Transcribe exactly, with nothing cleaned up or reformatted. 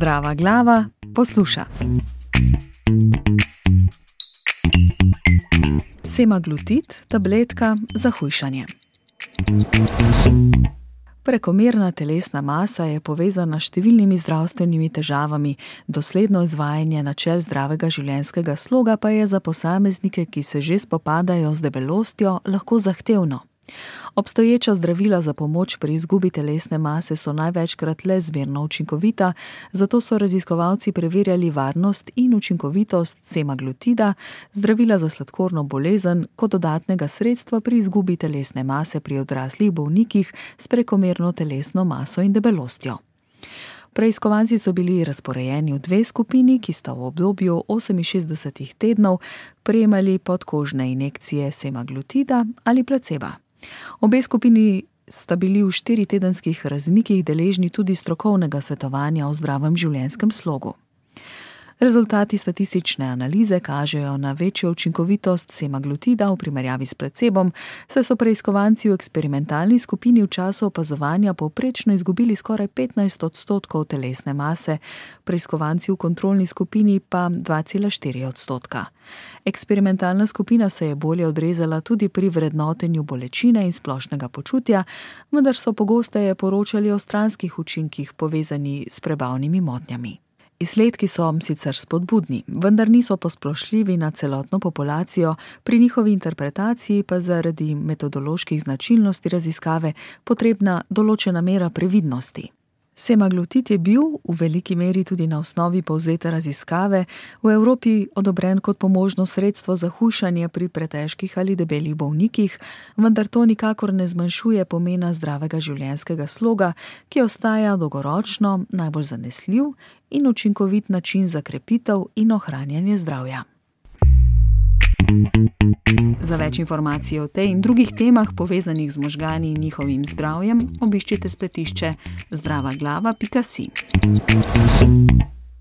Zdrava glava posluša. Semaglutid, tabletka za hujšanje. Prekomerna telesna masa je povezana s številnimi zdravstvenimi težavami, dosledno izvajanje načel zdravega življenjskega sloga pa je za posameznike, ki se že spopadajo z debelostjo, lahko zahtevno. Obstoječa zdravila za pomoč pri izgubi telesne mase so največkrat le zmerno učinkovita, zato so raziskovalci preverjali varnost in učinkovitost semaglutida, zdravila za sladkorno bolezen, kot dodatnega sredstva pri izgubi telesne mase pri odraslih bolnikih s prekomerno telesno maso in debelostjo. Preiskovanci so bili razporejeni v dve skupini, ki sta v obdobju oseminšestdeset tednov prejemali podkožne injekcije semaglutida ali placeba. Obe skupini sta bili v štiritedenskih razmikih deležni tudi strokovnega svetovanja o zdravem življenjskem slogu. Rezultati statistične analize kažejo na večjo učinkovitost semaglutida v primerjavi s placebom, saj so preiskovanci v eksperimentalni skupini v času opazovanja povprečno izgubili skoraj petnajst odstotkov telesne mase, preiskovanci v kontrolni skupini pa dva cela štiri odstotka. Eksperimentalna skupina se je bolje odrezala tudi pri vrednotenju bolečine in splošnega počutja, vendar so pogosteje poročali o stranskih učinkih povezani s prebavnimi motnjami. Izsledki so sicer spodbudni, vendar niso posplošljivi na celotno populacijo, pri njihovi interpretaciji pa zaradi metodoloških značilnosti raziskave potrebna določena mera previdnosti. Semaglutid je bil v veliki meri tudi na osnovi povzete raziskave v Evropi odobren kot pomožno sredstvo za hujšanje pri pretežkih ali debelih bolnikih, vendar to nikakor ne zmanjšuje pomena zdravega življenjskega sloga, ki ostaja dolgoročno najbolj zanesljiv in učinkovit način za krepitev in ohranjanje zdravja. Za več informacij o tej in drugih temah povezanih z možgani in njihovim zdravjem, obiščite spletišče zdrava glava pika si.